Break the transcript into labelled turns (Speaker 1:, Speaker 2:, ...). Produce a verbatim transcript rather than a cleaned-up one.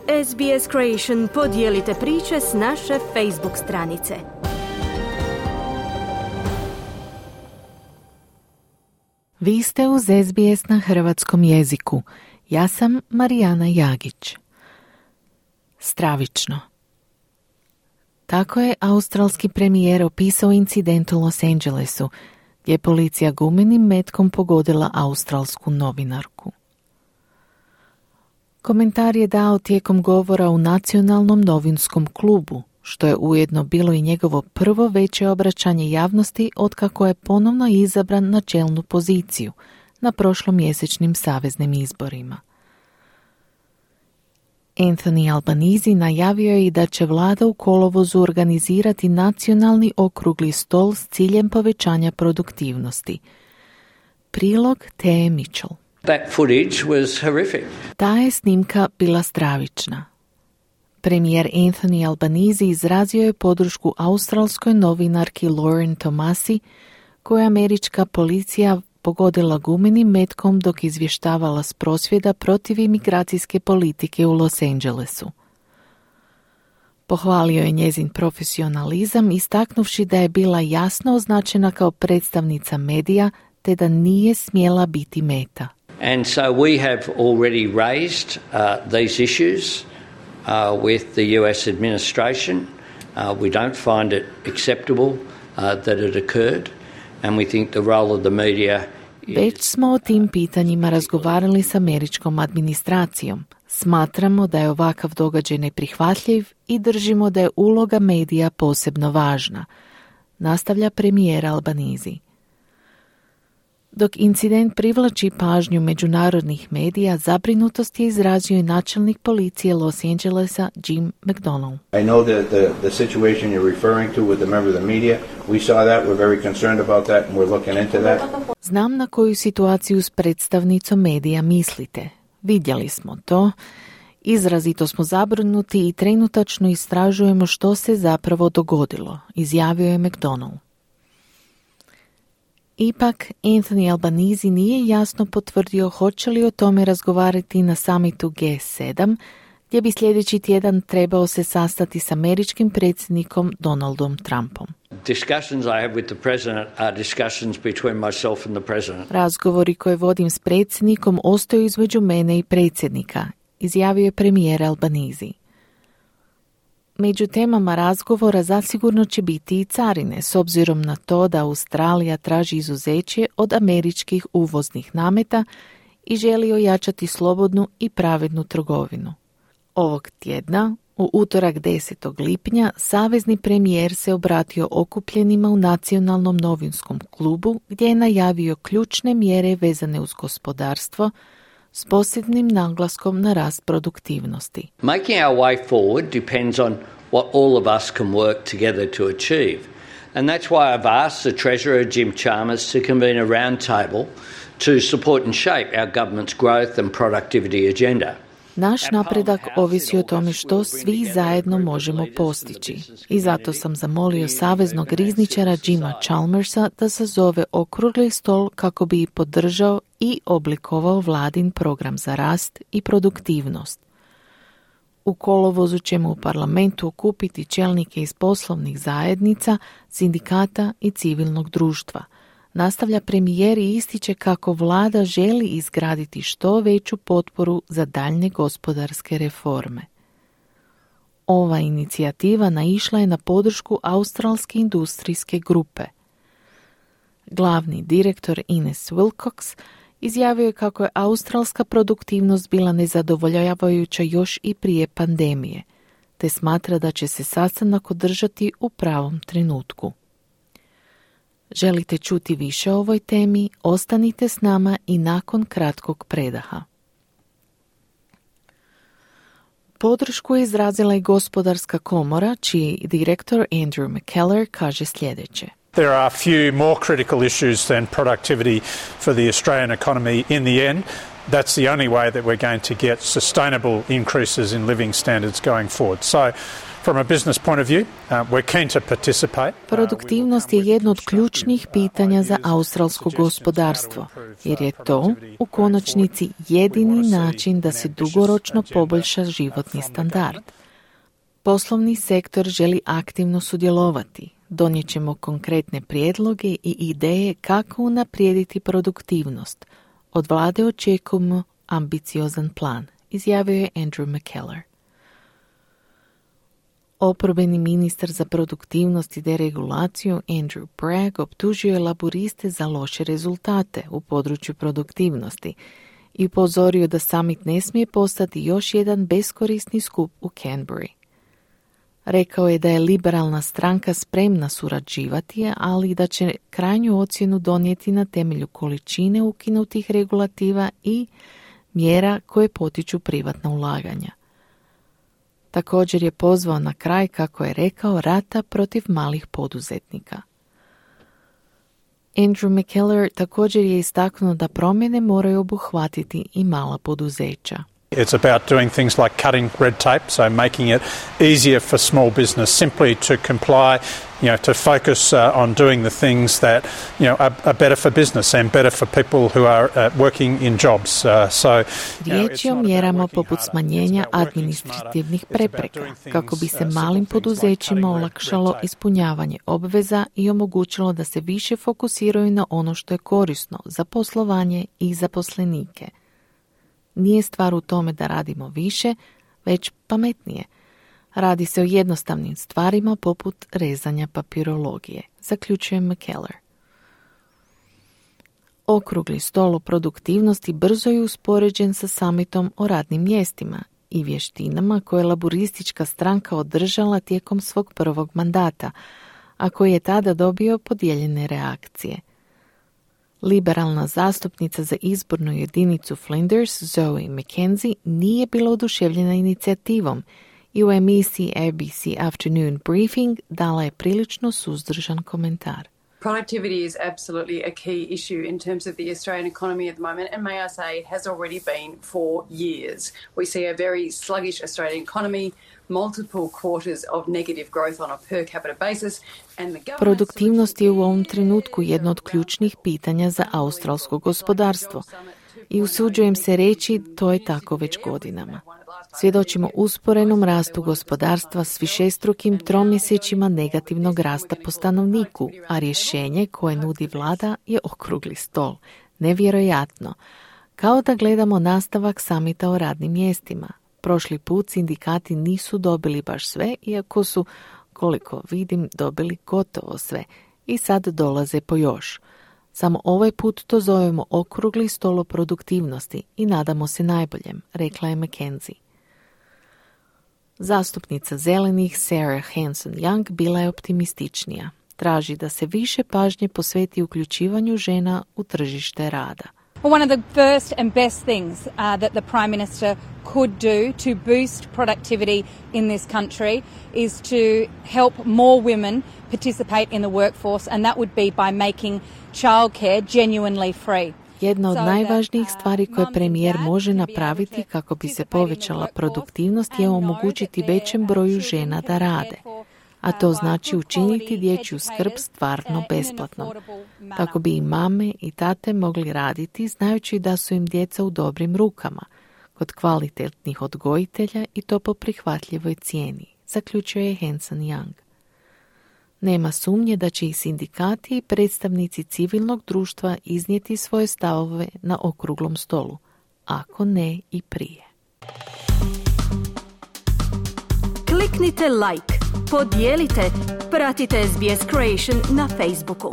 Speaker 1: S B S Creation podijelite priče s naše Facebook stranice.
Speaker 2: Vi ste uz S B S na hrvatskom jeziku. Ja sam Marijana Jagić. Stravično. Tako je australski premijer opisao incident u Los Angelesu, gdje je policija gumenim metkom pogodila australsku novinarku. Komentar je dao tijekom govora u Nacionalnom novinskom klubu, što je ujedno bilo i njegovo prvo veće obraćanje javnosti otkako je ponovno izabran na čelnu poziciju na prošlomjesečnim saveznim izborima. Anthony Albanese najavio je i da će vlada u kolovozu organizirati nacionalni okrugli stol s ciljem povećanja produktivnosti. Prilog T. Mitchell.
Speaker 3: That footage was horrific.
Speaker 2: Ta je snimka bila stravična. Premijer Anthony Albanese izrazio je podršku australskoj novinarki Lauren Tomasi, koju je američka policija pogodila gumenim metkom dok izvještavala s prosvjeda protiv imigracijske politike u Los Angelesu. Pohvalio je njezin profesionalizam, istaknuvši da je bila jasno označena kao predstavnica medija te da nije smjela biti meta.
Speaker 3: And so we have already raised uh, these issues uh, with the U S administration. Uh, we don't find it acceptable uh, that it occurred, and we think the role of the media is...
Speaker 2: Već smo o tim pitanjima razgovarali s američkom administracijom. Smatramo da je ovakav događaj neprihvatljiv i držimo da je uloga medija posebno važna, nastavlja premijer Albanese. Dok incident privlači pažnju međunarodnih medija, zabrinutost je izrazio i načelnik policije Los Angelesa Jim McDonnell.
Speaker 4: I know that the, the situation you're referring to with the member of the media, we saw that, we're very concerned about that and we're looking into that.
Speaker 2: Znam na koju situaciju s predstavnicom medija mislite. Vidjeli smo to. Izrazito smo zabrinuti i trenutačno istražujemo što se zapravo dogodilo, izjavio je McDonnell. Ipak, Anthony Albanese nije jasno potvrdio hoće li o tome razgovarati na samitu G sedam, gdje bi sljedeći tjedan trebao se sastati s američkim predsjednikom Donaldom Trumpom.
Speaker 3: Discussions I have with the president are discussions between myself and the president.
Speaker 2: Razgovori koje vodim s predsjednikom ostaju između mene i predsjednika, izjavio je premijer Albanese. Među temama razgovora zasigurno će biti i carine, s obzirom na to da Australija traži izuzeće od američkih uvoznih nameta i želi ojačati slobodnu i pravednu trgovinu. Ovog tjedna, u utorak desetog lipnja, savezni premijer se obratio okupljenima u Nacionalnom novinskom klubu gdje je najavio ključne mjere vezane uz gospodarstvo, s posebnim naglaskom na rast produktivnosti.
Speaker 3: Making our way forward depends on what all of us can work together to achieve. And that's why I've asked the Treasurer, Jim Chalmers, to convene a round table to support and shape our government's growth and productivity agenda.
Speaker 2: Naš napredak ovisi o tome što svi zajedno možemo postići. I zato sam zamolio saveznog rizničara Jima Chalmersa da sazove okrugli stol kako bi podržao i oblikovao vladin program za rast i produktivnost. U kolovozu ćemo u parlamentu okupiti čelnike iz poslovnih zajednica, sindikata i civilnog društva. Nastavlja premijer i ističe kako vlada želi izgraditi što veću potporu za daljnje gospodarske reforme. Ova inicijativa naišla je na podršku australske industrijske grupe. Glavni direktor Ines Wilcox izjavio je kako je australska produktivnost bila nezadovoljavajuća još i prije pandemije, te smatra da će se sastanak održati u pravom trenutku. Želite čuti više o ovoj temi? Ostanite s nama i nakon kratkog predaha. Podršku je izrazila i gospodarska komora, čiji direktor Andrew McKellar kaže sljedeće.
Speaker 5: There are few more critical issues than productivity for the Australian economy in the end. that's the only way that we're going to get sustainable increases in living standards going forward. So, from a business point of view, uh, we're keen to participate.
Speaker 2: Produktivnost je jedno od ključnih pitanja za australsko gospodarstvo, jer je to u konačnici jedini način da se dugoročno poboljša životni standard. Poslovni sektor želi aktivno sudjelovati. Donijet ćemo konkretne prijedloge i ideje kako unaprijediti produktivnost. Od vlade očekujemo ambiciozan plan, izjavio je Andrew McKellar. Oporbeni ministar za produktivnost i deregulaciju Andrew Bragg optužio je laburiste za loše rezultate u području produktivnosti i upozorio da summit ne smije postati još jedan beskorisni skup u Canberri. Rekao je da je liberalna stranka spremna surađivati, ali da će krajnju ocjenu donijeti na temelju količine ukinutih regulativa i mjera koje potiču privatna ulaganja. Također je pozvao na kraj, kako je rekao, rata protiv malih poduzetnika. Andrew McKellar također je istaknuo da promjene moraju obuhvatiti i mala poduzeća.
Speaker 5: It's about doing things like cutting red tape, so making it easier for small business simply to comply, you know, to focus uh, on doing the things that, you know, are, are better for business and better for people who are uh, working in jobs. Uh, so,
Speaker 2: Riječ je o mjerama poput smanjenja administrativnih prepreka, kako bi se malim poduzećima olakšalo ispunjavanje obveza i omogućilo da se više fokusiraju na ono što je korisno za poslovanje i zaposlenike. Nije stvar u tome da radimo više, već pametnije. Radi se o jednostavnim stvarima poput rezanja papirologije, zaključuje McKellar. Okrugli stol o produktivnosti brzo je uspoređen sa summitom o radnim mjestima i vještinama koje je laburistička stranka održala tijekom svog prvog mandata, a koji je tada dobio podijeljene reakcije. Liberalna zastupnica za izbornu jedinicu Flinders, Zoe McKenzie, nije bila oduševljena inicijativom i u emisiji A B C Afternoon Briefing dala je prilično suzdržan komentar.
Speaker 6: Productivity is absolutely a key issue in terms of the Australian economy at the moment, and may I say it has already been for years. We see a very sluggish Australian economy, multiple quarters of negative growth on a per capita basis, and the
Speaker 2: Produktivnost je u ovom trenutku jedno od ključnih pitanja za australsko gospodarstvo i usuđujem se reći to je tako već godinama. Svjedočimo usporenom rastu gospodarstva s višestrukim tromjesečjima negativnog rasta po stanovniku, a rješenje koje nudi vlada je okrugli stol. Nevjerojatno. Kao da gledamo nastavak samita o radnim mjestima. Prošli put sindikati nisu dobili baš sve, iako su, koliko vidim, dobili gotovo sve. I sad dolaze po još. Samo ovaj put to zovemo okrugli stol o produktivnosti i nadamo se najboljem, rekla je McKenzie. Zastupnica zelenih Sarah Hanson-Young bila je optimističnija. Traži da se više pažnje posveti uključivanju žena u tržište rada.
Speaker 7: Well, one of the first and best things uh, that the Prime Minister could do to boost productivity in this country is to help more women participate in the workforce, and that would be by making childcare genuinely free.
Speaker 2: Jedna od najvažnijih stvari koje premijer može napraviti kako bi se povećala produktivnost je omogućiti većem broju žena da rade. A to znači učiniti dječju skrb stvarno besplatnom, kako bi i mame i tate mogli raditi znajući da su im djeca u dobrim rukama, kod kvalitetnih odgojitelja i to po prihvatljivoj cijeni, zaključuje je Hanson-Young. Nema sumnje da će i sindikati i predstavnici civilnog društva iznijeti svoje stavove na okruglom stolu, ako ne i prije.
Speaker 1: Kliknite like, podijelite, pratite S B S Creation na Facebooku.